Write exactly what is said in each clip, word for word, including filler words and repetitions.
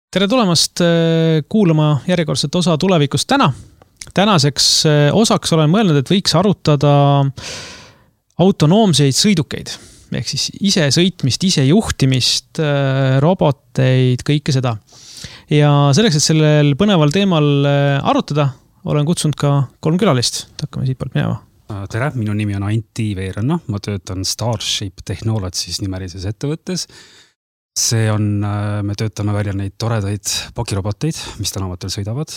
Tere tulemast kuulama järjekordset osa tulevikust täna. Tänaseks osaks olen mõelnud, et võiks arutada autonoomseid sõidukeid. Ehk siis ise sõitmist, ise juhtimist, roboteid, kõike seda. Ja selleks, et sellel põneval teemal arutada, olen kutsunud ka kolm külalist. Hakkame siit poolt minema. Tere, minu nimi on Antti Veeranna. Ma töötan Starship Technologies nimelises ettevõttes. See on, me töötame välja neid toredaid pakiroboteid, mis tänavatel sõidavad.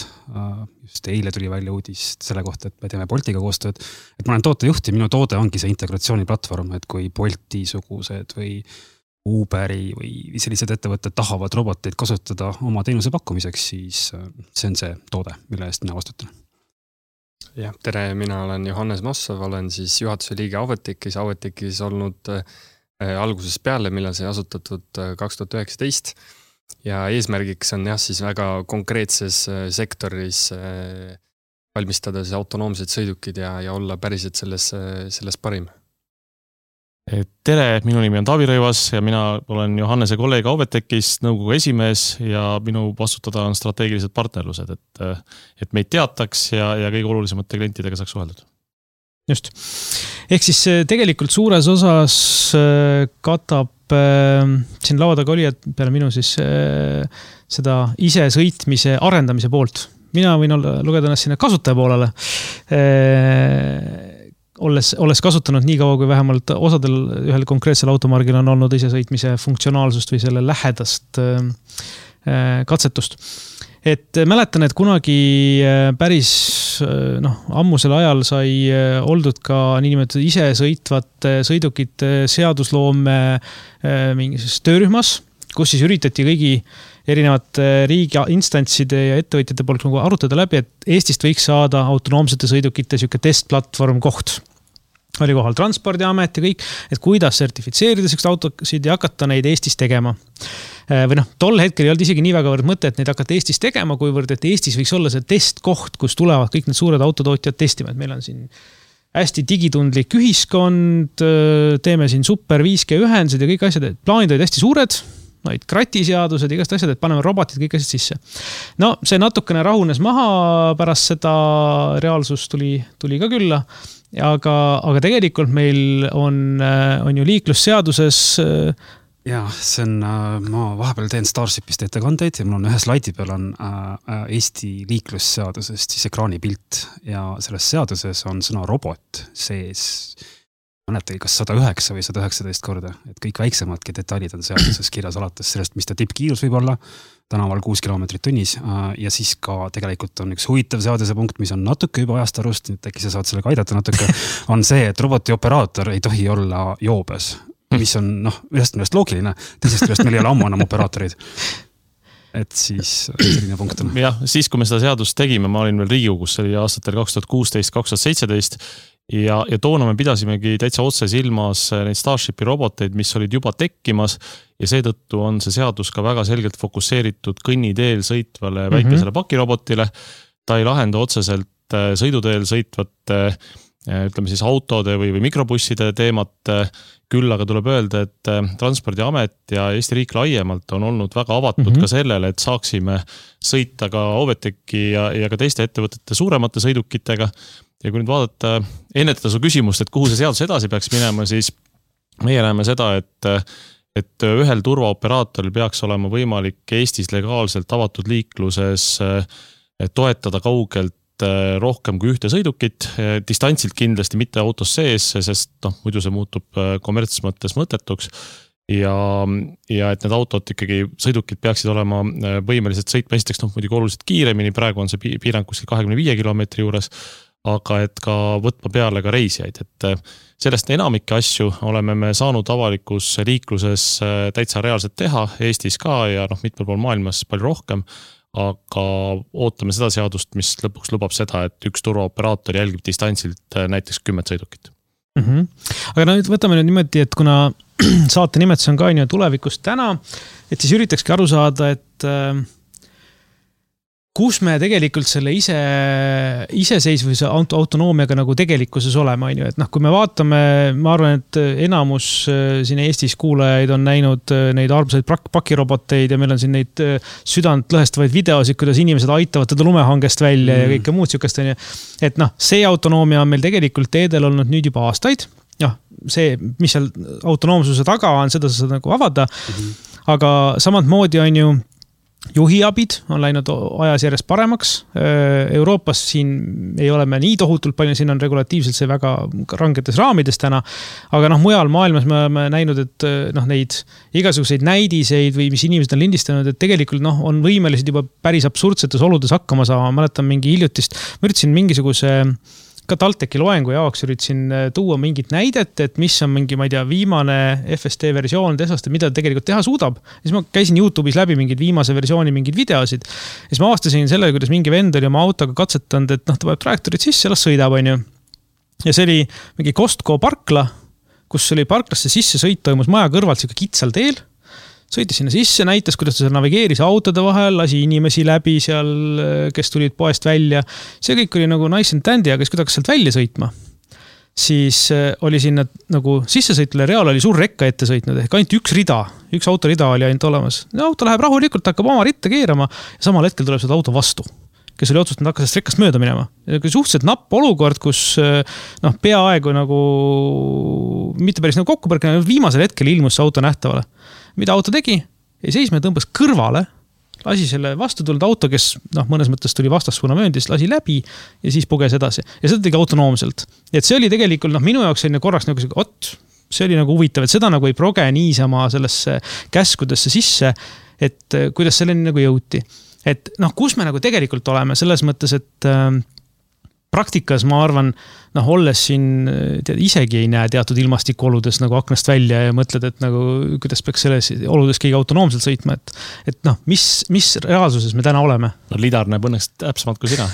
Just eile tuli välja uudis selle kohta, et me teeme Boltiga koostööd. Et ma olen tootejuht ja minu toode ongi see integratsiooniplatvorm, et kui Bolti-sugused või Uberi või sellised ettevõtted tahavad roboteid kasutada oma teenuse pakkumiseks, siis see on see toode, mille eest mina vastutan. Ja, tere, mina olen Johannes Mossov, olen siis juhatuse liige Auvetekis, Auvetekis olnud alguses peale, millal see asutatud kaks tuhat üheksateist ja eesmärgiks on jah siis väga konkreetses sektoris valmistada siis autonoomsed sõidukid ja, ja olla päriselt selles, selles parim. Tere, minu nimi on Taavi Rõivas ja mina olen Johannese kolleeg Auvetekis, nõukogu esimees ja minu vastutada on strateegilised partnerlused, et, et meid teataks ja, ja kõige olulisemate klientidega saaks suheldud. Just. Ehk siis tegelikult suures osas katab siin laua taga oli, et peale minu siis seda ise sõitmise arendamise poolt. Mina võin olla, lugeda ennast sinna kasutaja poolele. Olles, olles kasutanud nii kaua, kui vähemalt osadel ühel konkreetsel automargil on olnud ise sõitmise funktsionaalsust või selle lähedast katsetust. Et mäletan, et kunagi päris noh, ammusel ajal sai oldud ka niinimetatud ise sõitvate sõidukite seadusloome mingis töörühmas, kus siis üritati kõigi erinevate riigi instantside ja ettevõtjate poolt nagu arutada läbi, et Eestist võiks saada autonoomsete sõidukite siuke testplatvorm koht. Oli kohal Transpordiamet ja kõik, et kuidas sertifitseerida sellist autosid ja hakata neid Eestis tegema. Või noh, tol hetkel ei olnud isegi nii väga võrd mõte, et neid hakata Eestis tegema, kuivõrd, et Eestis võiks olla see testkoht, kus tulevad kõik need suured autotootjad testima. Et meil on siin hästi digitundlik ühiskond, teeme siin super viis G ühendused ja kõik asjad, et plaanid olid hästi suured, neid kratiseadused, igast asjad, et paneme robotid kõik asjad sisse. No, see natukene rahunes maha, pärast seda reaalsus tuli, tuli ka külla, aga, aga tegelikult meil on, on ju liiklusseaduses Ja, see on, ma vahepeal teen Starshipist ettekandeid ja mul on ühe slaidi peal on Eesti liiklusseadusest siis ekraanipilt ja selles seaduses on sõna robot sees mõnetagi kas sada üheksa või sada üheksateist korda, et kõik väiksemadki detailid on seaduses kirjas alates sellest, mis ta tippkiirus võib olla, tänaval kuus kilomeetrit tunnis ja siis ka tegelikult on üks huvitav seaduse punkt, mis on natuke juba ajast arust, nüüd äkki sa saad sellega aidata natuke, on see, et roboti operaator ei tohi olla joobes. Mis on noh, ühest millest loogiline, teisest millest meil ei ole ammu enam operaatorid. Et siis selline punkt on. Jah, siis kui me seda seadust tegime, ma olin veel Riigikogus, see oli aastatel kaks tuhat kuusteist kaks tuhat seitseteist ja, ja toona me pidasimegi täitsa otse silmas neid Starshipi roboteid, mis olid juba tekkimas ja seetõttu on see seadus ka väga selgelt fokusseeritud kõnniteel sõitvale väikesele mm-hmm. pakirobotile. Ta ei lahenda otseselt sõiduteel sõitvate ütleme siis autode või, või mikrobusside teemat, küll aga tuleb öelda, et Transpordiamet ja Eesti riik laiemalt on olnud väga avatud mm-hmm. ka sellele, et saaksime sõita ka Auveteki ja, ja ka teiste ettevõtete suuremate sõidukitega. Ja kui nüüd vaadata, ennetada su küsimust, et kuhu see seadus edasi peaks minema, siis meie näeme seda, et, et ühel turvaoperaatoril peaks olema võimalik Eestis legaalselt avatud liikluses toetada kaugelt rohkem kui ühte sõidukit, distantsilt kindlasti mitte autos sees, sest noh, muidu see muutub kommertses mõttes mõttetuks ja, ja et need autod ikkagi sõidukid peaksid olema võimelised sõitma esiteks noh, muidugi oluliselt kiiremini, praegu on see piirang kuskil kahekümne viie kilomeetri juures, aga et ka võtma peale ka reisijaid, et sellest enamike asju oleme me saanud avalikus liikluses täitsa reaalselt teha, Eestis ka ja noh, mitmel pool maailmas palju rohkem, aga ootame seda seadust, mis lõpuks lubab seda, et üks turvaoperaator jälgib distantsilt näiteks kümmet sõidukit. Mm-hmm. Aga nüüd võtame nüüd niimoodi, et kuna saate nimetus on ka tulevikust täna, et siis üritakski aru saada, et kus me tegelikult selle ise, iseseisvuse auto, autonoomiaga nagu tegelikkuses oleme, on ju, et noh, kui me vaatame, ma arvan, et enamus siin Eestis kuulajaid on näinud neid armsaid pakiroboteid ja meil on siin neid südant lõhestavaid videosid, kuidas inimesed aitavad teda lumehangest välja mm. ja kõike muud sükest, on ju. Et noh, see autonoomia on meil tegelikult teedel olnud nüüd juba aastaid. Noh, see, mis seal autonoomsuse taga on, seda sa saad nagu avada. Mm-hmm. Aga samad moodi on ju juhiabid on läinud ajas järjest paremaks. Euroopas siin ei ole me nii tohutult palju, siin on regulatiivselt see väga rangetes raamides täna. Aga noh, mujal maailmas me oleme näinud, et noh, neid igasuguseid näidiseid või mis inimesed on lindistanud, et tegelikult noh, on võimelised juba päris absurdsetes oludes hakkama saama. Ma mäletan mingi hiljutist, ma üritasin mingisuguse ka TalTechi loengu jaoks üritasin tuua mingit näidet, et mis on mingi, ma ei tea, viimane F S D versioon Teslast, mida tegelikult teha suudab. Ja siis ma käisin YouTube'is läbi mingid viimase versiooni mingid videosid. Ja siis ma avastasin selle, kuidas mingi vend oli oma autoga katsetanud, et noh, ta paneb trajektorid sisse, las sõidab, on ju. Ja see oli mingi Costco parkla, kus oli parklasse sisse sõit, toimus maja kõrvalt siuke kitsal teel. Sõitis sinna sisse, näitas, kuidas ta navigeeris autode vahel, lasi inimesi läbi seal, kes tulid poest välja. See kõik oli nagu nice and dandy, aga siis kui ta hakkas sealt välja sõitma, siis oli sinna nagu sissesõitule reaal oli suur rekka ette sõitnud, ehk ainult üks rida, üks autorida oli ainult olemas. Ja auto läheb rahulikult, hakkab oma ritta keerama ja samal hetkel tuleb seda auto vastu, kes oli otsustanud hakka sellest rekkast mööda minema. Suhteliselt napp olukord, kus noh, peaaegu nagu mitte päris nagu kokkupõrkne, viimasel hetkel ilmus see auto nähtavale. Mida auto tegi? Ei seisma ja tõmbas kõrvale, lasi selle vastu tulnud auto, kes noh, mõnes mõttes tuli vastassuuna mööndis, lasi läbi ja siis puges edasi. Ja seda tegi autonoomselt. Et see oli tegelikult noh, minu jaoks selline korraks nagu see, ot, see oli nagu huvitav, et seda nagu ei proge niisama sellesse käskudesse sisse, et kuidas selleni nagu jõuti. Et noh, kus me nagu tegelikult oleme selles mõttes, et äh, praktikas ma arvan, noh, olles siin tead, isegi ei näe teatud ilmastikuoludes nagu aknast välja ja mõtled, et nagu, kuidas peaks selles oludes keegi autonoomselt sõitma, et, et noh, mis, mis reaalsuses me täna oleme? No Lidar näeb õnneks täpsemalt kui sina.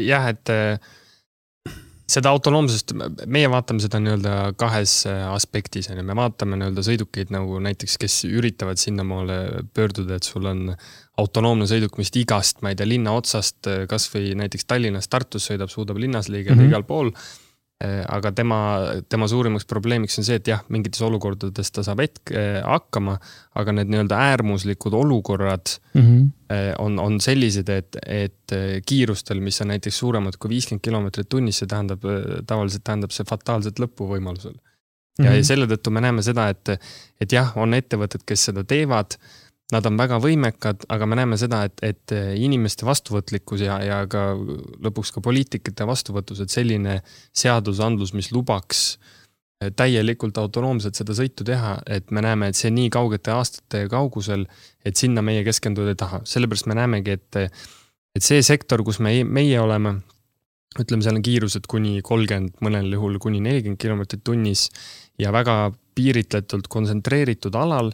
Jah, et seda autonoomsust, meie vaatame seda nii-öelda kahes aspektis. Me vaatame nii-öelda sõidukeid nagu näiteks, kes üritavad sinnamaale pöörduda, et sul on autonoomne sõiduk, mis igast, ma ei tea, linna otsast, kas või näiteks Tallinnas Tartus sõidab, suudab linnas liigeda mm-hmm. igal pool. Aga tema, tema suurimaks probleemiks on see, et jah, mingites olukordades ta saab hetk hakkama, aga need nii-öelda äärmuslikud olukorrad mm-hmm. on, on sellised, et, et kiirustel, mis on näiteks suuremad kui viiskümmend kilomeetrit tunnis, see tähendab, tavaliselt tähendab see fataalset lõppu võimalusel. Ja mm-hmm. selle tõttu me näeme seda, et, et jah, on ettevõtted, kes seda teevad, nad on väga võimekad, aga me näeme seda, et, et inimeste vastuvõtlikkus ja, ja ka lõpuks ka poliitikate vastuvõtus, et selline seadusandlus, mis lubaks täielikult autonoomselt seda sõitu teha, et me näeme, et see nii kaugete aastate kaugusel, et sinna meie keskenduda ei taha. Sellepärast me näemegi, et, et see sektor, kus me, meie oleme, ütleme, seal on kiirused kuni kolmkümmend, mõnel juhul kuni nelikümmend kilomeetrit tunnis ja väga piiritletult kontsentreeritud alal,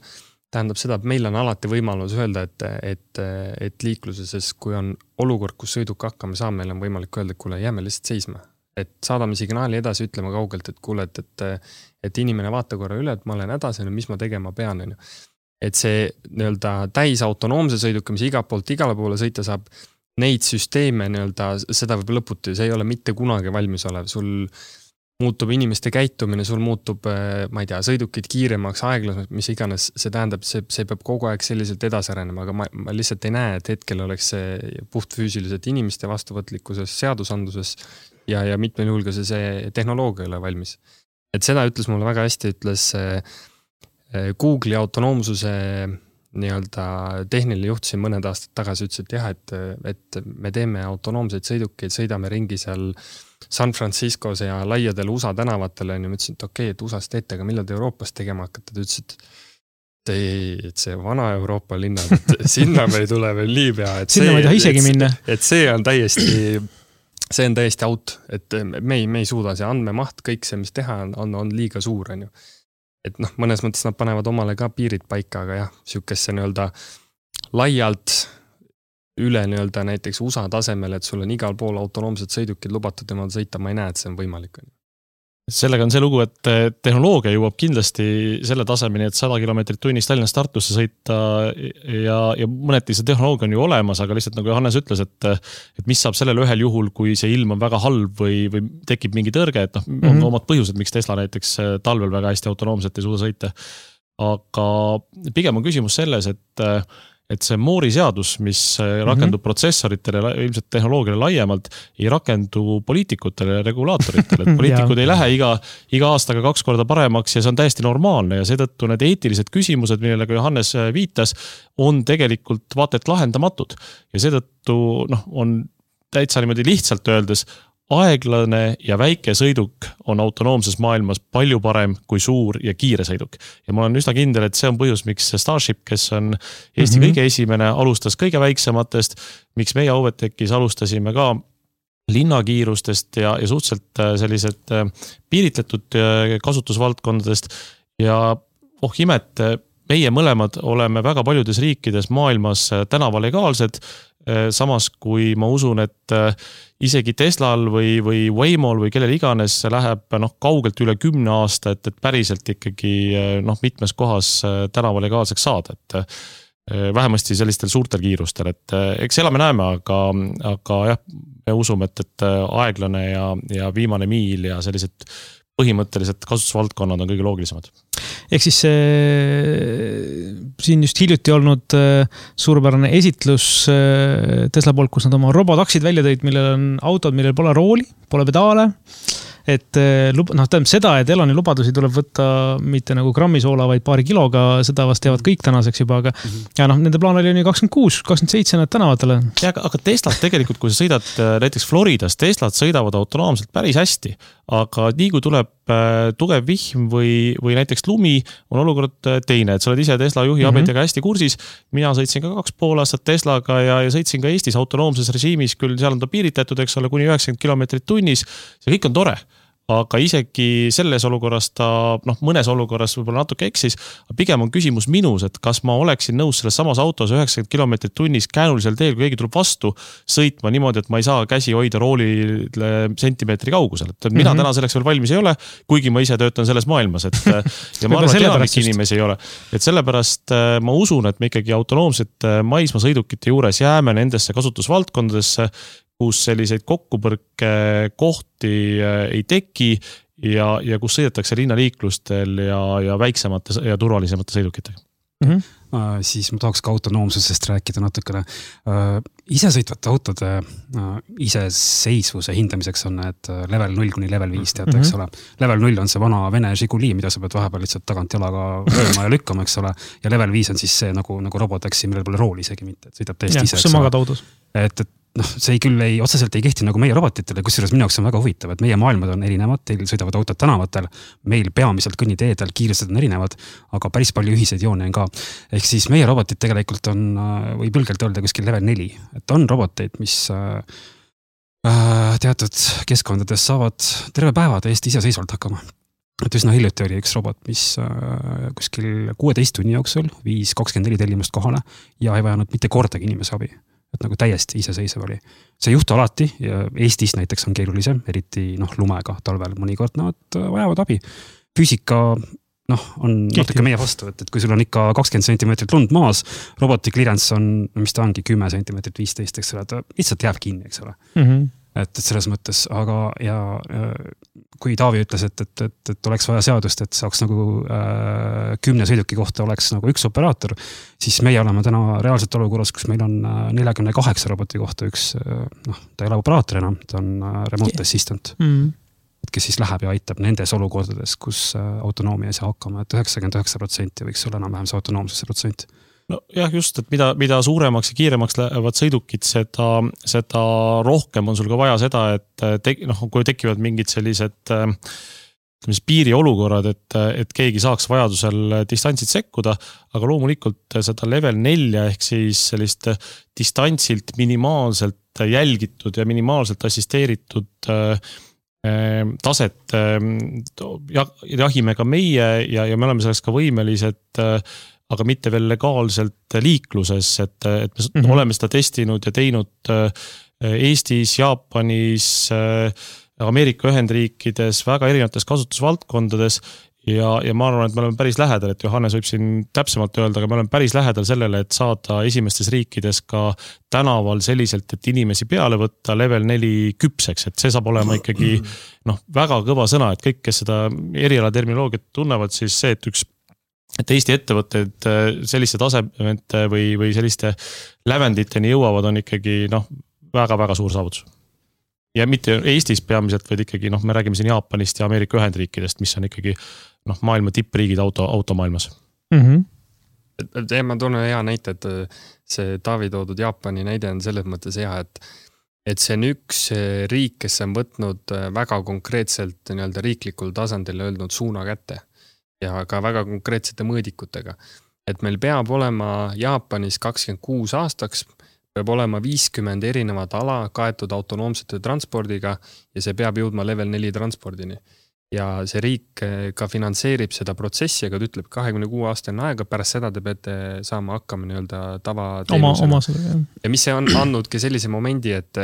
tähendab seda, et meil on alati võimalus öelda, et, et, et liikluses, kui on olukord, kus sõiduk hakkama saab, meil on võimalik öelda, et kuule, jääme lihtsalt seisma. Et saadame signaali edasi, ütleme kaugelt, et kuule, et, et, et inimene vaata korra üle, et ma olen hädas, mis ma tegema pean. Et see nii-öelda täis autonoomse sõiduka, mis igalt poolt igale poole sõita saab, neid süsteeme nii-öelda, seda võib lõputi, see ei ole mitte kunagi valmis olev. Sul muutub inimeste käitumine, sul muutub, ma ei tea, sõidukid kiiremaks, aeglasemaks, mis iganes, see tähendab, see, see peab kogu aeg selliselt edasi arenema, aga ma, ma lihtsalt ei näe, et hetkel oleks see puht füüsiliselt inimeste vastuvõtlikkuses, seadusandluses ja, ja mitmel juhul ka see, see tehnoloogia ei ole valmis. Et seda ütles mulle väga hästi, ütles Google'i autonoomsuse nii-öelda tehniline juht siin mõned aastad tagasi ütles, et jah, et, et me teeme autonoomseid sõidukeid, sõidame ringi seal San Franciscos ja laiadel U S A tänavatele ja ma ütlesin, et okei, okay, et U S A-s teete, aga millal te Euroopas tegema hakkate? Ta ütles, et ei, et see vana Euroopa linnad, et sinna me ei tule veel nii pea. Sinna ma ei taha isegi minna. Et see on täiesti, see on täiesti out, et me ei, me ei suuda see andmemaht, kõik see, mis teha on, on, on liiga suur. On ju. Et noh, mõnes mõttes nad panevad omale ka piirid paika, aga jah, sükesse nii-öelda laialt üle nii-öelda näiteks U S A tasemel, et sul on igal pool autonoomsed sõidukid lubatud temal sõita, ma ei näe, et see on võimalik. sellega on see lugu, et tehnoloogia jõuab kindlasti selle tasemeni, et sada kilomeetrit tunnis Tallinnast Tartusse sõita ja, ja mõneti see tehnoloogia on ju olemas, aga lihtsalt nagu Johannes ütles, et, et mis saab sellel ühel juhul, kui see ilm on väga halb või, või tekib mingi tõrge, et noh, on mm-hmm. omad põhjused, miks Tesla näiteks talvel väga hästi autonoomselt ei suuda sõita. Aga pigem on küsimus selles, et et see Moore'i seadus, mis rakendub mm-hmm. protsessoritele, ilmselt tehnoloogiale laiemalt, ei rakendu poliitikutele ja regulaatoritele. Et poliitikud ei lähe iga, iga aastaga kaks korda paremaks ja see on täiesti normaalne ja seetõttu need eetilised küsimused, millele ka Johannes viitas, on tegelikult vaata et lahendamatud. Ja seetõttu noh, on täitsa niimoodi lihtsalt öeldes, aeglane ja väike sõiduk on autonoomses maailmas palju parem kui suur ja kiire sõiduk. Ja ma olen üsna kindel, et see on põhjus, miks Starship, kes on Eesti mm-hmm. kõige esimene, alustas kõige väiksematest, miks meie Auvetekis alustasime ka linnakiirustest ja, ja suhteliselt sellised piiritletud kasutusvaldkondadest ja oh imet, meie mõlemad oleme väga paljudes riikides maailmas tänavalegaalsed, samas kui ma usun, et isegi Teslal või, või Waymol või kellel iganes läheb noh, kaugelt üle kümne aasta, et, et päriselt ikkagi noh, mitmes kohas tänavalegaalseks saada, et vähemasti sellistel suurtel kiirustel, et eks elame näeme, aga, aga jah, me usume, et, et aeglane ja, ja viimane miil ja sellised põhimõtteliselt kasutusvaldkonnad on kõige loogilisemad. Ehk siis äh, siin just hiljuti olnud äh, suurepärane esitlus äh, Tesla poolt, kus nad oma robotaksid välja tõid, millel on autod, millel pole rooli, pole pedaale. Et noh, tähendab seda, et Eloni lubadusi tuleb võtta mitte nagu grammi soola, vaid paari kiloga, seda vast teavad kõik tänaseks juba, aga mm-hmm. ja noh, nende plaan oli kakskümmend kuus, kakskümmend seitse nad tänavatele. Ja, aga Teslad tegelikult, kui sa sõidad näiteks Floridas, Teslad sõidavad autonoomselt päris hästi, aga nii kui tuleb tugev vihm või, või näiteks lumi, on olukord teine, et sa oled ise Tesla juhi mm-hmm. abetiga hästi kursis. Mina sõitsin ka kaks pool aastat Teslaga ja, ja sõitsin ka Eestis autonoomses režiimis, küll seal on ta piiritletud, eks ole, kuni üheksakümmend kilomeetrit tunnis. See kõik on tore. Aga isegi selles olukorras ta, noh, mõnes olukorras võib-olla natuke eksis, pigem on küsimus minus, et kas ma oleksin nõus selles samas autos üheksakümmend kilomeetrit tunnis käänulisel teel, kui keegi tuleb vastu, sõitma niimoodi, et ma ei saa käsi hoida roolile sentimeetri kaugusel. Et mina mm-hmm. täna selleks veel valmis ei ole, kuigi ma ise töötan selles maailmas, et ja ma arvan, et enamik inimesi ei ole. Et sellepärast ma usun, et me ikkagi autonoomsete maismaasõidukite juures jääme nendesse kasutusvaldkondadesse, kus selliseid kokkupõrke kohti ei teki ja, ja kus sõidetakse linnaliiklustel ja, ja väiksemate ja turvalisemate sõidukitega. Mm-hmm. Uh, siis ma tahaks ka autonoomsusest rääkida natukene. Uh, isesõitvate autode uh, iseseisvuse hindamiseks on need level null kuni level viis, teate, eks ole. Level null on see vana Vene Žiguli, mida sa pead vahepeal lihtsalt tagant jalaga lööma ja lükkama, eks ole. Ja level viis on siis see nagu, nagu robotaksi, millel pole rooli isegi mitte, et sõidab täiesti ise. Kus sa magad autos? Et, et noh, see ei küll ei, otseselt ei kehti nagu meie robotitele, kusjuures minu jaoks on väga huvitav, et meie maailmad on erinevad, teil sõidavad autod tänavatel, meil peamiselt kõnniteedel, kiirused on erinevad, aga päris palju ühiseid joone on ka. Ehk siis meie robotid tegelikult on, või põlgelt öelda kuskil level neli, et on roboteid, mis äh, teatud keskkondades saavad terve päeva täiesti iseseisvalt hakkama. Et üsna hiljuti oli üks robot, mis äh, kuskil kuueteist tunni jooksul viis kakskümmend neli tellimust kohale ja ei vajanud mitte kordagi inimese abi. Et nagu täiesti iseseisev oli. See juhtu alati ja Eestis näiteks on keerulisem, eriti noh, lumega talvel mõnikord nad vajavad abi. Füüsika noh, on Kihti. Natuke meie vastu, et, et kui sul on ikka kakskümmend sentimeetrit lund maas, roboti clearance on, mis ta ongi, kümme sentimeetrit viisteist, eks ole, ta lihtsalt jääb kinni, eks ole. Mm-hmm. Et, et selles mõttes, aga ja kui Taavi ütles, et, et, et, et oleks vaja seadust, et saaks nagu äh, kümne sõiduki kohta oleks nagu üks operaator, siis meie oleme täna reaalselt olukorras, kus meil on nelikümmend kaheksa roboti kohta üks, noh, ta ei ole operaator enam, ta on remote assistant, mm. et kes siis läheb ja aitab nendes olukordades, kus autonoomia ei saa hakkama, et üheksakümmend üheksa protsenti võiks olla enam-vähem see autonoomsuse protsent. No jah, just, et mida, mida suuremaks ja kiiremaks lähevad sõidukid, seda, seda rohkem on sul ka vaja seda, et te, noh, kui tekivad mingid sellised ütleme, piiriolukorrad, et, et keegi saaks vajadusel distantsid sekkuda, aga loomulikult seda level nelja ehk siis sellist distantsilt minimaalselt jälgitud ja minimaalselt assisteeritud taset jahime ka meie ja, ja me oleme selleks ka võimelised aga mitte veel legaalselt liikluses, et, et me mm-hmm. oleme seda testinud ja teinud Eestis, Jaapanis, Ameerika Ühendriikides väga erinevates kasutusvaldkondades ja, ja ma arvan, et me oleme päris lähedal, et Johannes võib siin täpsemalt öelda, aga me oleme päris lähedal sellele, et saada esimestes riikides ka tänaval selliselt, et inimesi peale võtta level neli küpseks, et see saab olema ikkagi noh, väga kõva sõna, et kõik, kes seda eriala terminoloogiat tunnevad, siis see, et üks et Eesti ettevõtted selliste tasemete või, või selliste lävenditeni jõuavad, on ikkagi noh, väga-väga suur saavutus. Ja mitte Eestis peamiselt, vaid ikkagi, noh, me räägime siin Jaapanist ja Ameerika Ühendriikidest, mis on ikkagi noh, maailma tippriigid auto, automaailmas. Mm -hmm. Ja ma toon hea näite, et see Taavi toodud Jaapani näide on selles mõttes hea, et, et see on üks riik, kes on võtnud väga konkreetselt nii-öelda riiklikul tasandil öelnud suuna kätte ja ka väga konkreetsete mõõdikutega. Et meil peab olema Jaapanis kakskümmend kuus aastaks, peab olema viiskümmend erinevat ala kaetud autonoomsete transpordiga ja see peab jõudma level neli transpordini. Ja see riik ka finantseerib seda protsessi, aga ta ütleb kahekümne kuue aastane aega, pärast seda te peate saama hakkama nii-öelda tava teenusena. Ja mis see on andnudki sellise momendi, et,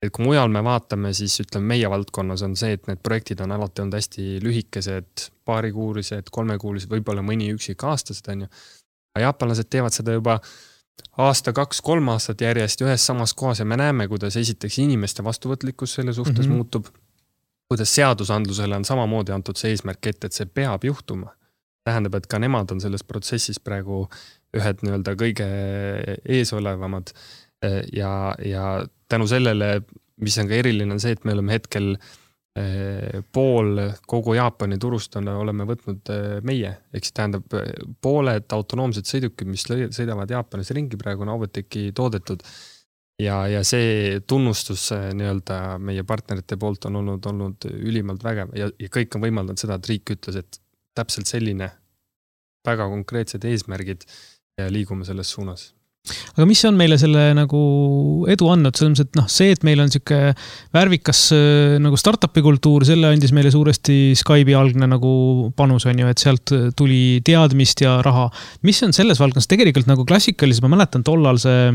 et kui mujal me vaatame, siis ütleme meie valdkonnas on see, et need projektid on alati olnud hästi lühikesed, paarikuulised, kolmekuulised, võib-olla mõni üksik aastased on ju. Jaapanlased teevad seda juba aasta, kaks, kolm aastat järjest ühes samas kohas ja me näeme, kuidas esiteks inimeste vastuvõtlikkus selle suhtes mm -hmm. muutub, kuidas seadusandlusele on samamoodi antud see eesmärk ette, et see peab juhtuma. Tähendab, et ka nemad on selles protsessis praegu ühed nii-öelda kõige eesolevamad ja, ja tänu sellele, mis on ka eriline, on see, et me oleme hetkel pool kogu Jaapani turust on, oleme võtnud meie, eks tähendab pooled autonoomsed sõidukid, mis sõidavad Jaapanis ringi praegu on Avoteki toodetud ja, ja see tunnustus nii-öelda meie partnerite poolt on olnud, olnud ülimalt vägev ja, ja kõik on võimaldanud seda, et riik ütles, et täpselt selline väga konkreetsed eesmärgid ja liigume selles suunas. Aga mis on meile selle nagu edu andnud? Selles, et noh, see, et meil on siuke värvikas nagu startupi kultuur, selle andis meile suuresti Skype'i algne nagu panus on ju, et sealt tuli teadmist ja raha. Mis on selles valdkonnas tegelikult nagu klassikaliselt, ma mäletan tollal see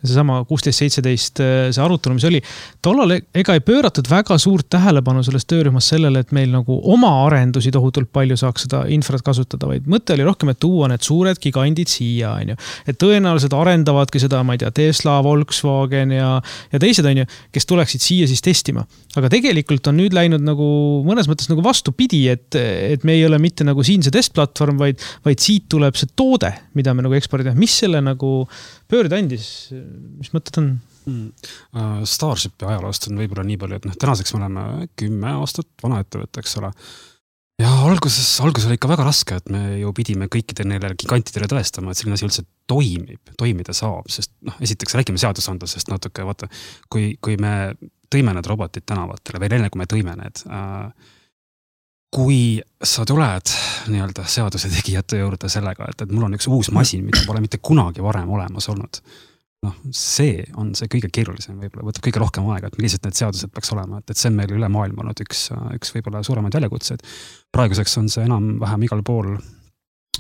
seesama kuusteist seitseteist see arutelu, mis oli, tollal ega ei pööratud väga suurt tähelepanu selles töörühmas sellele, et meil nagu oma arendusi tohutult palju saaks seda infrat kasutada, vaid mõte oli rohkem, et tuua need suured gigandid siia, on ju. Et tõenäoliselt arendavadki seda, ma ei tea, Tesla, Volkswagen ja, ja teised, on ju, kes tuleksid siia siis testima. Aga tegelikult on nüüd läinud nagu mõnes mõttes nagu vastupidi, et, et me ei ole mitte nagu siin see testplatvorm, vaid, vaid siit tuleb see toode, mida me nagu ekspordime. Mis selle nagu pöörde andis? Mis mõtted on? Mm. Starshipi ajaloost on võib-olla nii palju, et noh, tänaseks me oleme kümme aastat vana ettevõte, eks ole. Ja alguses, alguses oli ikka väga raske, et me ju pidime kõikide neile gigantidele tõestama, et selline asi üldse toimib, toimida saab, sest noh, esiteks räägime seadusandlusest natuke, vaata, kui, kui me tõime need robotid tänavatele, veel enne kui me tõime need, äh, kui sa tuled nii-öelda seaduse tegijate juurde sellega, et, et mul on üks uus masin, mida pole mitte kunagi varem olemas olnud, noh, see on see kõige keerulisem, võib-olla võtab kõige rohkem aega, et millised need seadused peaks olema, et, et see on meil üle maailma olnud üks, üks võib-olla suuremaid väljakutseid. Praeguseks on see enam-vähem igal pool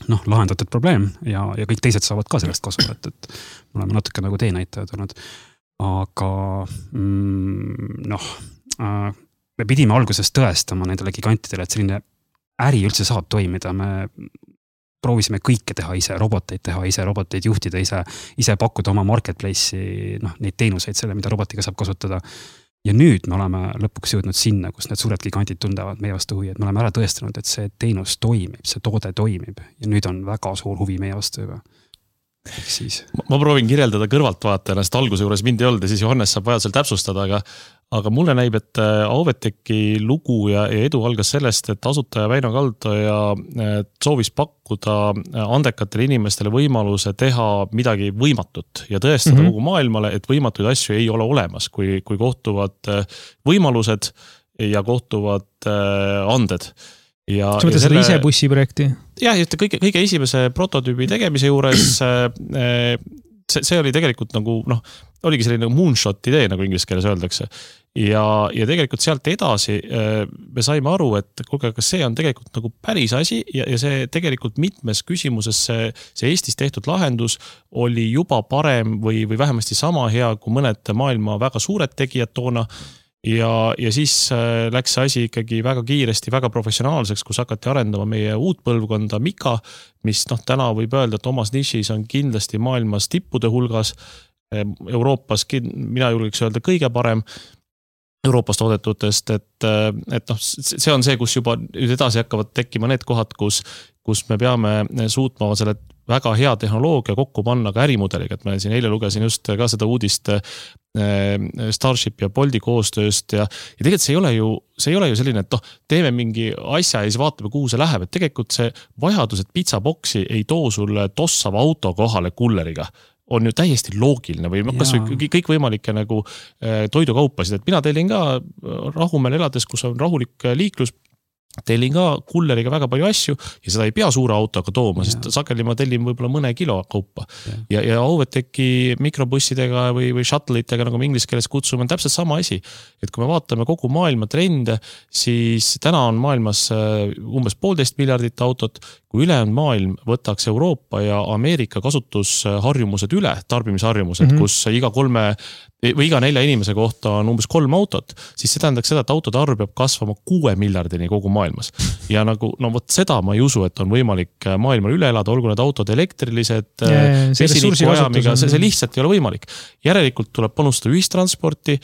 noh, lahendatud probleem ja, ja kõik teised saavad ka sellest kasu, et, et me oleme natuke nagu teenäitajad olnud. Aga mm, noh, me pidime alguses tõestama nendele gigantidele, et selline äri üldse saab toimida, me proovisime kõike teha ise, roboteid teha ise, roboteid juhtida ise, ise pakkuda oma marketplace'i, noh, neid teenuseid selle, mida robotiga saab kasutada. Ja nüüd me oleme lõpuks jõudnud sinna, kus need suured gigantid tundavad meie vastu huvi, et me oleme ära tõestanud, et see teenus toimib, see toode toimib ja nüüd on väga suur huvi meie vastu juba. Siis. Ma proovin kirjeldada kõrvaltvaatajana, sest alguse juures mind ei olnud ja siis Johannes saab vajadusel täpsustada, aga, aga mulle näib, et Avoteki lugu ja, ja edu algas sellest, et asutaja Väino Kaldoja soovis pakkuda andekatele inimestele võimaluse teha midagi võimatut ja tõestada mm-hmm. kogu maailmale, et võimatuid asju ei ole olemas, kui, kui kohtuvad võimalused ja kohtuvad anded. Ja, sa mõtled selle ise bussi projekti? Jah, kõige, kõige esimese prototüübi tegemise juures see, see oli tegelikult nagu, noh, oligi selline moonshot idee, nagu inglise keeles öeldakse. Ja, ja tegelikult sealt edasi me saime aru, et kuulge, kas see on tegelikult nagu päris asi ja, ja see tegelikult mitmes küsimuses see, see Eestis tehtud lahendus oli juba parem või, või vähemasti sama hea kui mõned maailma väga suured tegijad toona. ja, ja siis läks see asi ikkagi väga kiiresti, väga professionaalseks, kus hakati arendama meie uut põlvkonda Mika, mis noh, täna võib öelda, et omas nišis on kindlasti maailmas tippude hulgas, Euroopas, mina julgeks öelda kõige parem Euroopas toodetutest, et, et noh, see on see, kus juba nüüd edasi hakkavad tekkima need kohad, kus, kus me peame suutma selle väga hea tehnoloogia kokku panna ka ärimudeliga, et ma siin eile lugesin just ka seda uudist Starship ja Bolti koostööst ja, ja tegelikult see ei ole ju, see ei ole ju selline, et noh, teeme mingi asja ja siis vaatame, kuhu see läheb, et tegelikult see vajadus, et pizzaboksi ei too sulle tossava auto kohale kulleriga, on ju täiesti loogiline või kas või kõik võimalikke nagu toidukaupasid, et mina tellin ka Rahumäel elades, kus on rahulik liiklus, tellin ka kulleriga väga palju asju ja seda ei pea suure autoga tooma, sest sageli ma tellin võib-olla mõne kilo kaupa. Ja, ja Overteki mikrobussidega või, või shuttlitega, nagu me inglise keeles kutsume, on täpselt sama asi. Et kui me vaatame kogu maailma trende, siis täna on maailmas umbes poolteist miljardit autot, kui ülejäänud maailm võtaks Euroopa ja Ameerika kasutusharjumused üle, tarbimisharjumused, mm-hmm. kus iga kolme või iga nelja inimese kohta on umbes kolm autot, siis see tähendaks seda, et autode arv peab kasvama kuue miljardini kogu maailmas. Ja nagu, no vot seda ma ei usu, et on võimalik maailmal üle elada, olgu need autod elektrilised, vesinikuajamiga, see, see lihtsalt ei ole võimalik. Järelikult tuleb panustada ühistransporti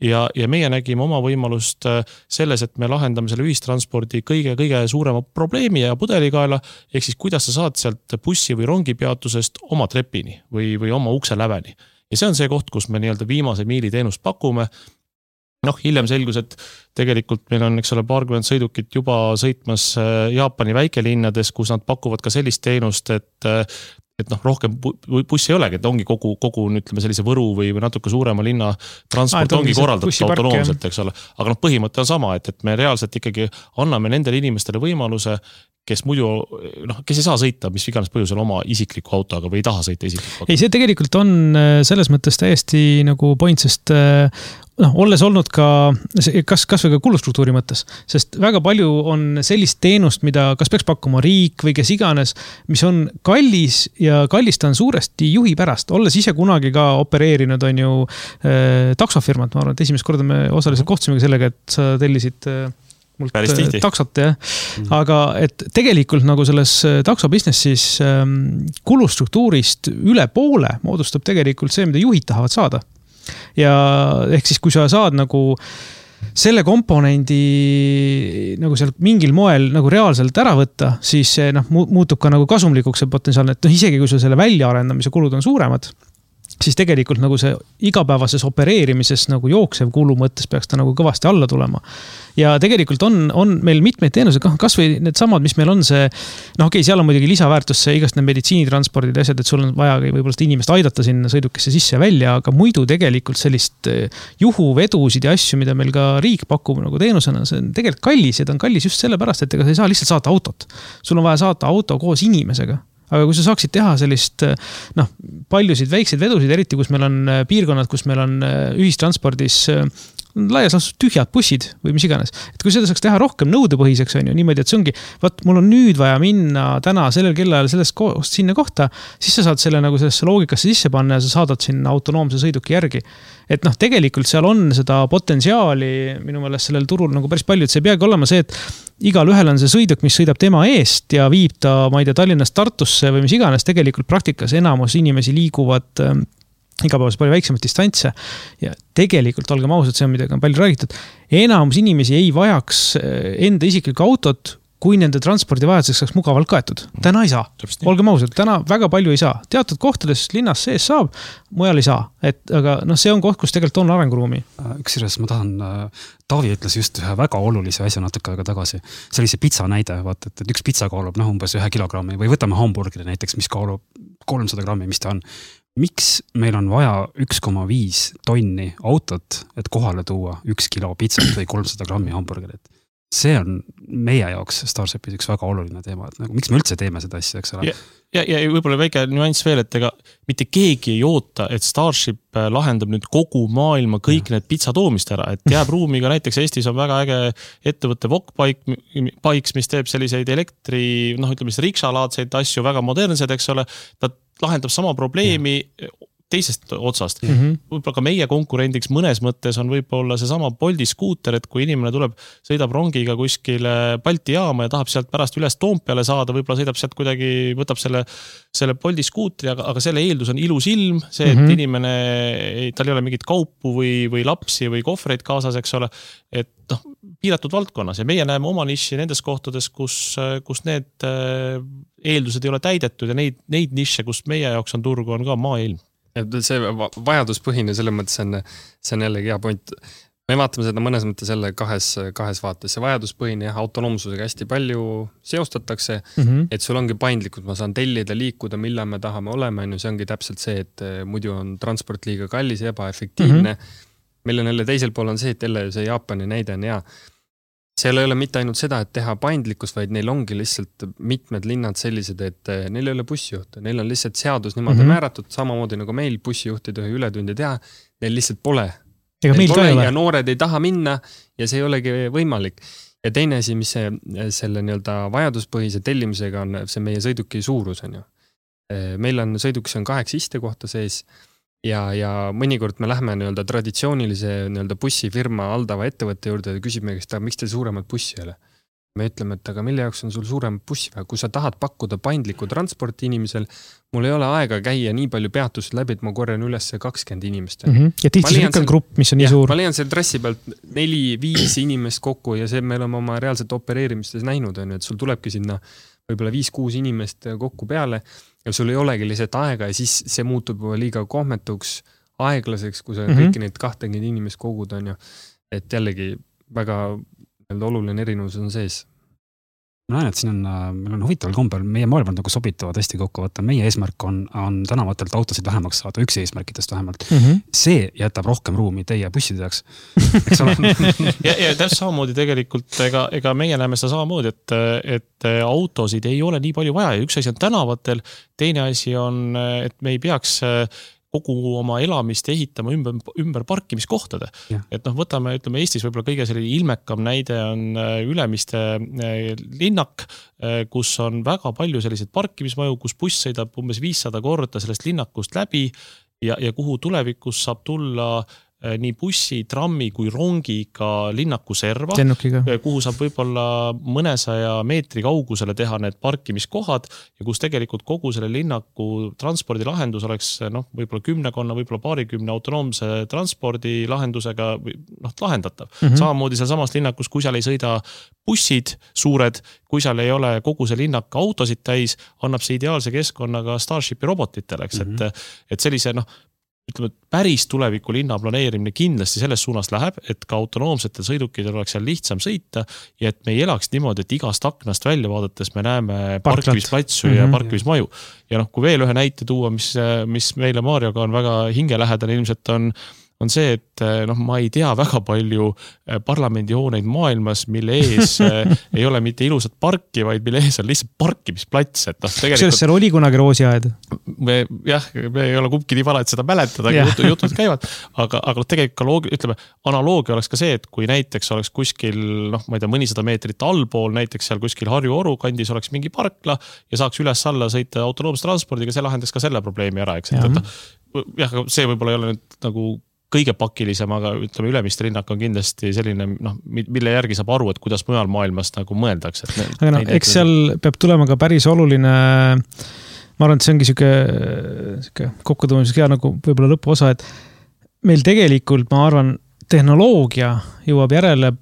ja, ja meie nägime oma võimalust selles, et me lahendame selle ühistranspordi kõige, kõige suurema probleemi ja pudelikaela, ehk siis kuidas sa saad sealt bussi või rongi peatusest oma trepini või, või oma ukse läveni. Ja see on see koht, kus me nii-öelda viimase miili teenust pakume. Noh, hiljem selgus, et tegelikult meil on, eks ole, paarkümmend sõidukit juba sõitmas Jaapani väikelinnades, kus nad pakuvad ka sellist teenust, et, et noh, rohkem bussi ei olegi, et ongi kogu, kogu ütleme, sellise Võru või, või natuke suurema linna transport ah, ongi korraldatud autonoomselt, eks ole. Aga noh, põhimõte on sama, et, et me reaalselt ikkagi anname nendele inimestele võimaluse, kes muidu, noh, kes ei saa sõita, mis iganes põhjusel oma isikliku autoga või ei taha sõita isikliku autoga. Ei, see tegelikult on selles mõttes täiesti nagu point, sest noh, olles olnud ka, kas, kas või ka kulustruktuuri mõttes, sest väga palju on sellist teenust, mida kas peaks pakkuma riik või kes iganes, mis on kallis ja kallist on suuresti juhi pärast. Olles ise kunagi ka opereerinud on ju äh, taksofirmat, ma arvan, et esimest korda me osaliselt kohtusimegi sellega, et sa tellisid äh, mult taksot, jah. Mm. Aga et tegelikult nagu selles takso businessis ähm, kulustruktuurist üle poole moodustab tegelikult see, mida juhid tahavad saada. Ja ehk siis, kui sa saad nagu selle komponendi nagu seal mingil moel nagu reaalselt ära võtta, siis see noh, muutub ka nagu kasumlikuks see potentsiaalne, et noh, isegi kui sul selle väljaarendamise kulud on suuremad, siis tegelikult nagu see igapäevases opereerimises nagu jooksev kulu mõttes peaks ta nagu kõvasti alla tulema. Ja tegelikult on, on meil mitmeid teenused, kas või need samad, mis meil on see, noh okei, seal on muidugi lisaväärtus see igast need meditsiinitranspordid ja asjad, et sul on vaja võib-olla seda inimest aidata sinna sõidukesse sisse ja välja, aga muidu tegelikult sellist juhuvedusid ja asju, mida meil ka riik pakub nagu teenusena, see on tegelikult kallis ja ta on kallis just sellepärast, et ega sa ei saa lihtsalt saata autot. Sul on vaja saata auto koos inimesega. Aga kui sa saaksid teha sellist, noh, paljusid väikseid vedusid, eriti kus meil on piirkonnad, kus meil on ühistranspordis laias laastus tühjad bussid või mis iganes. Et kui seda saaks teha rohkem nõudepõhiseks, on ju niimoodi, et see ongi, vaat mul on nüüd vaja minna täna sellel kellajal sellest kohast sinna kohta, siis sa saad selle nagu sellesse loogikasse sisse panna ja sa saadad sinna autonoomse sõiduki järgi. Et noh, tegelikult seal on seda potentsiaali minu meelest sellel turul nagu päris palju, et see peagi olema see, et igal ühel on see sõiduk, mis sõidab tema eest ja viib ta, ma ei tea, Tallinnast Tartusse või mis iganes, tegelikult praktikas enamus inimesi liiguvad igapäevas palju väiksemat distantse ja tegelikult, olgem ausad, see on midagi on palju räägitud, enamus inimesi ei vajaks enda isiklikku autot, kui nende transpordivajaduseks saaks mugavalt kaetud. Täna ei saa. Olgem ausad, täna väga palju ei saa. Teatud kohtades linnas sees saab, mujal ei saa. Et, aga noh, see on koht, kus tegelikult on arenguruumi. Üksjuures ma tahan, Taavi ütles just ühe väga olulise asja natuke aega tagasi. See oli see pitsa näide, vaata, et üks pitsa kaalub noh, umbes ühe kilogrammi või võtame hamburgeri näiteks, mis kaalub kolmsada grammi, mis ta on. Miks meil on vaja üks koma viis tonni autot, et kohale tuua üks kilo pitsat või kolmsada grammi hamburgerit? See on meie jaoks Starshipis üks väga oluline teema, et nagu, miks me üldse teeme seda asja, eks ole? Ja, ja, ja võib-olla väike nüanss veel, et ega mitte keegi ei oota, et Starship lahendab nüüd kogu maailma kõik ja. Need pitsa toomist ära, et jääb ruumiga, näiteks Eestis on väga äge ettevõtte Wokbikes, mis teeb selliseid elektri, noh ütleme, riksalaadseid asju, väga modernsed, eks ole, ta lahendab sama probleemi, ja. teisest otsast mm. -hmm. võib-olla ka meie konkurendiks mõnes mõttes on võib-olla seesama Bolti skuuter, et kui inimene tuleb, sõidab rongiga kuskile Balti jaama ja tahab sealt pärast üles Toompeale saada, võib-olla sõidab sealt kuidagi, võtab selle, selle Bolti skuutri, aga, aga selle eeldus on ilus ilm, see, et mm -hmm. inimene, tal ei ole mingit kaupu või, või lapsi või kohvreid kaasas, eks ole, et noh, piiratud valdkonnas ja meie näeme oma niši nendes kohtades, kus, kus need eeldused ei ole täidetud ja neid, neid niše, kus meie jaoks on turgu, on ka maailm. See vajaduspõhine selles mõttes on, see on jällegi hea point. Me vaatame seda mõnes mõttes jälle kahes, kahes vaates. See vajaduspõhine ja autonoomsusega hästi palju seostatakse, mm -hmm. et sul ongi paindlikud, ma saan tellida, liikuda, millal me tahame olema, see ongi täpselt see, et muidu on transport liiga kallis ja ebaefektiivne. Mm -hmm. Meil on jälle teisel pool on see, et jälle see Jaapani näide on hea. Seal ei ole mitte ainult seda, et teha paindlikkus, vaid neil ongi lihtsalt mitmed linnad sellised, et neil ei ole bussijuhte. Neil on lihtsalt seadus niimoodi mm -hmm. määratud, samamoodi nagu meil bussijuht ei tohi ületundi teha. Neil lihtsalt pole. Ega meil pole ka ei ole. Ja noored ei taha minna ja see ei olegi võimalik. Ja teine asi, mis see, selle nii-öelda vajaduspõhise tellimisega on, see meie sõiduki suurus on ju. Meil on sõidukis on kaheksa istekohta sees. Ja, ja mõnikord me lähme nii-öelda traditsioonilise nii-öelda bussifirma aldava ettevõtte juurde ja küsime, kes ta, miks te suuremad bussi ei ole? Me ütleme, et aga mille jaoks on sul suurem bussi vaja? Kui sa tahad pakkuda paindlikku transporti inimesel, mul ei ole aega käia nii palju peatust läbi, et ma korjan üles kakskümmend inimest. Mm -hmm. Ja tihti see on grupp, mis on nii ja, suur. Ma leian selle trassi pealt neli, viis inimest kokku ja see me oleme oma reaalselt opereerimistes näinud, on, et sul tulebki sinna võib-olla viis-kuus inimest kokku peale ja sul ei olegi lihtsalt aega ja siis see muutub liiga kohmetuks, aeglaseks, kui sa mm -hmm. kõiki neid kahtekümmend inimest kogud on ju. Et jällegi väga oluline erinevus on sees. Ma näen, et siin on, meil on huvitaval kombel, meie maailmad nagu sobituvad hästi kokku, vaata meie eesmärk on, on tänavatelt autosid vähemaks saada, üks eesmärkidest vähemalt. Mm -hmm. See jätab rohkem ruumi teie busside jaoks. Eks ole? ja, ja täpselt samamoodi tegelikult, ega, ega meie näeme seda samamoodi, et, et autosid ei ole nii palju vaja ja üks asi on tänavatel, teine asi on, et me ei peaks kogu oma elamist ehitama ümber, ümber parkimiskohtade. Ja. Et noh, võtame, ütleme Eestis võib-olla kõige selline ilmekam näide on Ülemiste linnak, kus on väga palju selliseid parkimismaju, kus buss sõidab umbes viissada korda sellest linnakust läbi ja, ja kuhu tulevikus saab tulla nii bussi, trammi kui rongiga linnaku serva, Lennukiga. kuhu saab võib-olla mõnesaja meetri kaugusele teha need parkimiskohad ja kus tegelikult kogu selle linnaku transpordilahendus oleks noh, võib-olla kümnekonna, võib-olla paarikümne autonoomse transpordilahendusega noh, lahendatav. Mm -hmm. Samamoodi seal samas linnakus, kui seal ei sõida bussid suured, kui seal ei ole kogu see linnak autosid täis, annab see ideaalse keskkonnaga Starshipi robotitele, eks, mm -hmm. et, et sellise noh, ütleme, et päris tuleviku linna planeerimine kindlasti selles suunas läheb, et ka autonoomsetel sõidukidel oleks seal lihtsam sõita ja et me ei elaks niimoodi, et igast aknast välja vaadates me näeme parkimisplatsu mm -hmm. ja parkimismaju. Ja noh, kui veel ühe näite tuua, mis, mis meile Marioga on väga hingelähedane, ilmselt on on see, et noh, ma ei tea väga palju parlamendihooneid maailmas, mille ees ei ole mitte ilusat parki, vaid mille ees on lihtsalt parkimisplats. Et noh, tegelikult... Kas seal oli kunagi roosiaed? Me, jah, me ei ole kumbki nii vana, et seda mäletada, aga jutud, jutud käivad. Aga, aga tegelikult loogi, ütleme, analoogia oleks ka see, et kui näiteks oleks kuskil, noh, ma ei tea, mõnisada meetrit allpool, näiteks seal kuskil Harju Oru kandis oleks mingi parkla ja saaks üles alla sõita autonoomse transpordiga, see lahendaks ka selle probleemi ära, eks. Et, et, jah, see võib-olla ei ole nüüd nagu kõige pakilisem, aga ütleme, Ülemiste linnak on kindlasti selline, noh, mille järgi saab aru, et kuidas mujal maailmas nagu mõeldakse. Aga no, eks seal peab tulema ka päris oluline, ma arvan, et see ongi siuke, siuke kokkutõmbamiseks hea nagu võib-olla lõpuosa, et meil tegelikult, ma arvan, tehnoloogia jõuab järele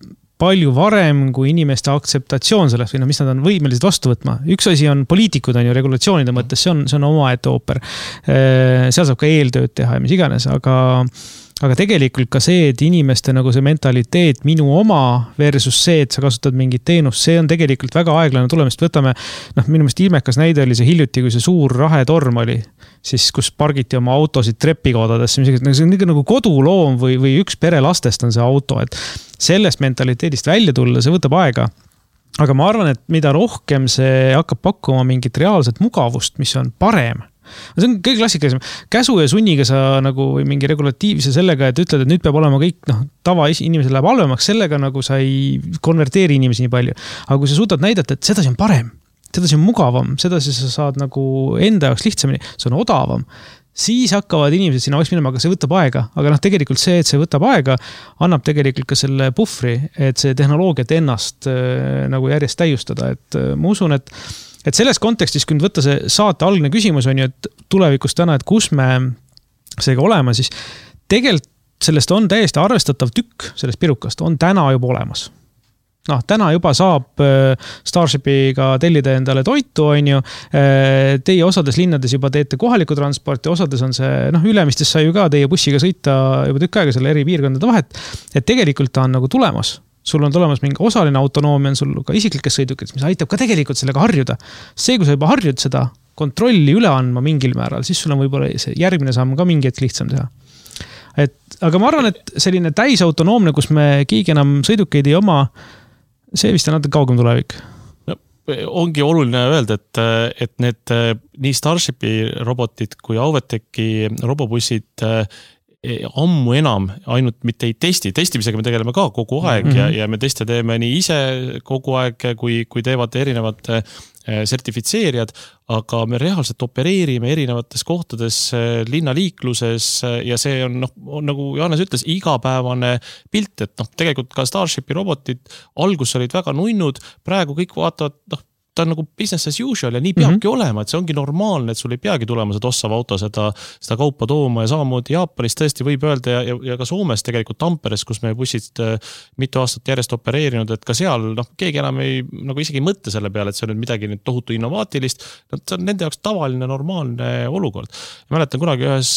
palju varem kui inimeste aktseptatsioon sellest või no, mis nad on võimelised vastu võtma. Üks asi on poliitikud, on ju regulatsioonide mõttes, see on, see on omaette ooper. Seal saab ka eeltööd teha ja mis iganes, aga Aga tegelikult ka see, et inimeste nagu see mentaliteet minu oma versus see, et sa kasutad mingit teenust, see on tegelikult väga aeglane tulemist. Võtame, noh, minu meelest ilmekas näide oli see hiljuti, kui see suur rahetorm oli, siis kus pargiti oma autosid trepikoodadesse. See on nagu koduloom või, või üks pere lastest on see auto, et sellest mentaliteedist välja tulla, see võtab aega. Aga ma arvan, et mida rohkem see hakkab pakkuma mingit reaalset mugavust, mis on parem, see on kõige klassikalisem. Käsu ja sunniga sa nagu või mingi regulatiivse sellega, et ütled, et nüüd peab olema kõik, noh, tava inimesel läheb halvemaks, sellega nagu sa ei konverteeri inimesi nii palju. Aga kui sa suudad näidata, et seda see on parem, seda see on mugavam, seda sa saad nagu enda jaoks lihtsamini, see on odavam, siis hakkavad inimesed sinna vaikselt minema, aga see võtab aega. Aga noh, tegelikult see, et see võtab aega, annab tegelikult ka selle puhvri, et see tehnoloogiat ennast äh, nagu järjest täiustada. Et äh, ma usun, et, et selles kontekstis, kui nüüd võtta see saate algne küsimus on ju, et tulevikus täna, et kus me seega olema, siis tegelikult sellest on täiesti arvestatav tükk sellest pirukast, on täna juba olemas. Noh, täna juba saab Starshipiga tellida endale toitu, on ju. Teie osades linnades juba teete kohaliku transporti, osades on see, noh, Ülemistes sai ju ka teie bussiga sõita juba tükk aega selle eri piirkondade vahet. Et tegelikult ta on nagu tulemas. Sul on tulemas mingi osaline autonoomia, on sul ka isiklikes sõidukid, mis aitab ka tegelikult sellega harjuda. See, kui sa juba harjud seda kontrolli üle andma mingil määral, siis sul on võib-olla see järgmine samm ka mingi hetk lihtsam teha. Et, aga ma arvan, et selline täisautonoomne, kus me keegi enam sõidukeid ei oma, see vist on natuke kaugem tulevik. No, ongi oluline öelda, et, et need nii Starshipi robotid kui Auveteki robobussid ammu enam ainult mitte ei testi. Testimisega me tegeleme ka kogu aeg mm-hmm. ja, ja me teste teeme nii ise kogu aeg, kui, kui teevad erinevad sertifitseerijad, aga me reaalselt opereerime erinevates kohtades linnaliikluses ja see on, noh, on nagu Johannes ütles, igapäevane pilt, et noh, tegelikult ka Starshipi robotid algus olid väga nunnud, praegu kõik vaatavad, noh, ta on nagu business as usual ja nii peabki mm-hmm. olema, et see ongi normaalne, et sul ei peagi tulema seda ossav auto seda, seda kaupa tooma ja samamoodi Jaapanis tõesti võib öelda ja, ja, ja ka Soomes tegelikult Tamperes, kus me bussid mitu aastat järjest opereerinud, et ka seal noh, keegi enam ei, nagu isegi ei mõtle selle peale, et see on nüüd midagi nüüd tohutu innovaatilist, see on nende jaoks tavaline, normaalne olukord. Ja mäletan kunagi ühes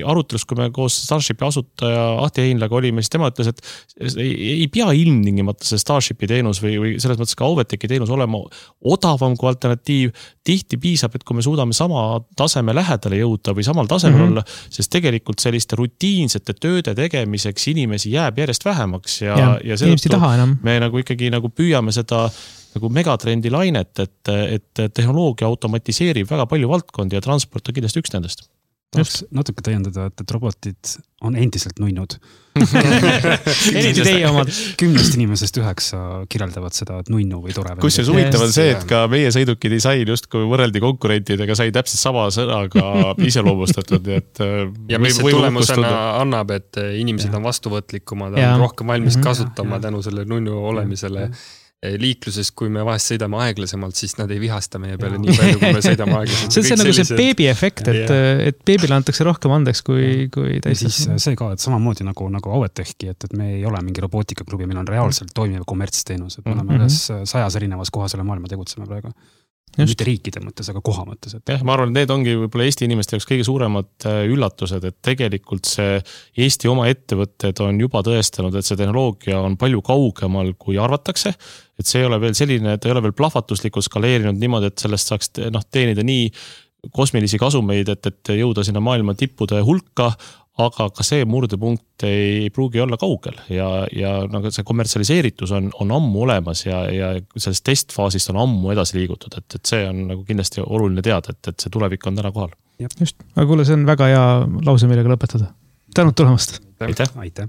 arutelus, kui me koos Starshipi asutaja Ahti Heinlaga olime, siis tema ütles, et ei, ei pea ilmtingimata see Starshipi teenus või, või selles mõttes ka Auveteki teenus olema odavam kui alternatiiv. Tihti piisab, et kui me suudame sama taseme lähedale jõuda või samal tasemel mm-hmm. olla, sest tegelikult selliste rutiinsete tööde tegemiseks inimesi jääb järjest vähemaks ja, ja, ja seetõttu me nagu ikkagi nagu püüame seda nagu megatrendi lainet, et, et tehnoloogia automatiseerib väga palju valdkondi ja transport on kindlasti üks nendest. Tahaks natuke täiendada, et, et robotid on endiselt nunnud. Eriti teie omad. Kümnest inimesest üheksa kirjeldavad seda, et nunnu või tore. Kus see suvitav on see, et ka meie sõidukid disain just kui võrreldi konkurentidega sai täpselt sama sõnaga iseloomustatud. Et ja mis see tulemusena annab, et inimesed on vastuvõtlikumad, on rohkem valmis kasutama ja. Tänu selle nunnu olemisele. Liikluses, kui me vahest sõidame aeglasemalt, siis nad ei vihasta meie peale ja. Nii palju, kui me sõidame aeglasemalt. See on see nagu see beebi efekt, et, et beebile antakse rohkem andeks kui, kui täistas. Siis see ka, et samamoodi nagu, nagu Auvetechki, et, et me ei ole mingi robootikaklubi, meil on reaalselt toimiv kommertsteenus, et me oleme mm-hmm. ühes sajas erinevas kohas üle maailma tegutseme praegu. Just. Mitte riikide mõttes, aga koha mõttes. Et... jah, ma arvan, et need ongi võib-olla Eesti inimeste jaoks kõige suuremad üllatused, et tegelikult see Eesti oma ettevõtted on juba tõestanud, et see tehnoloogia on palju kaugemal, kui arvatakse. Et see ei ole veel selline, et ei ole veel plahvatuslikult skaleerinud niimoodi, et sellest saaks noh, teenida nii kosmilisi kasumeid, et, et jõuda sinna maailma tippude hulka, aga ka see murdepunkt ei pruugi olla kaugel ja, ja nagu see kommertsialiseeritus on, on ammu olemas ja, ja sellest testfaasist on ammu edasi liigutud, et, et see on nagu kindlasti oluline teada, et, et see tulevik on täna kohal. Just, aga kuule, see on väga hea lause, millega lõpetada. Tänud tulemast! Aitäh! Aitäh!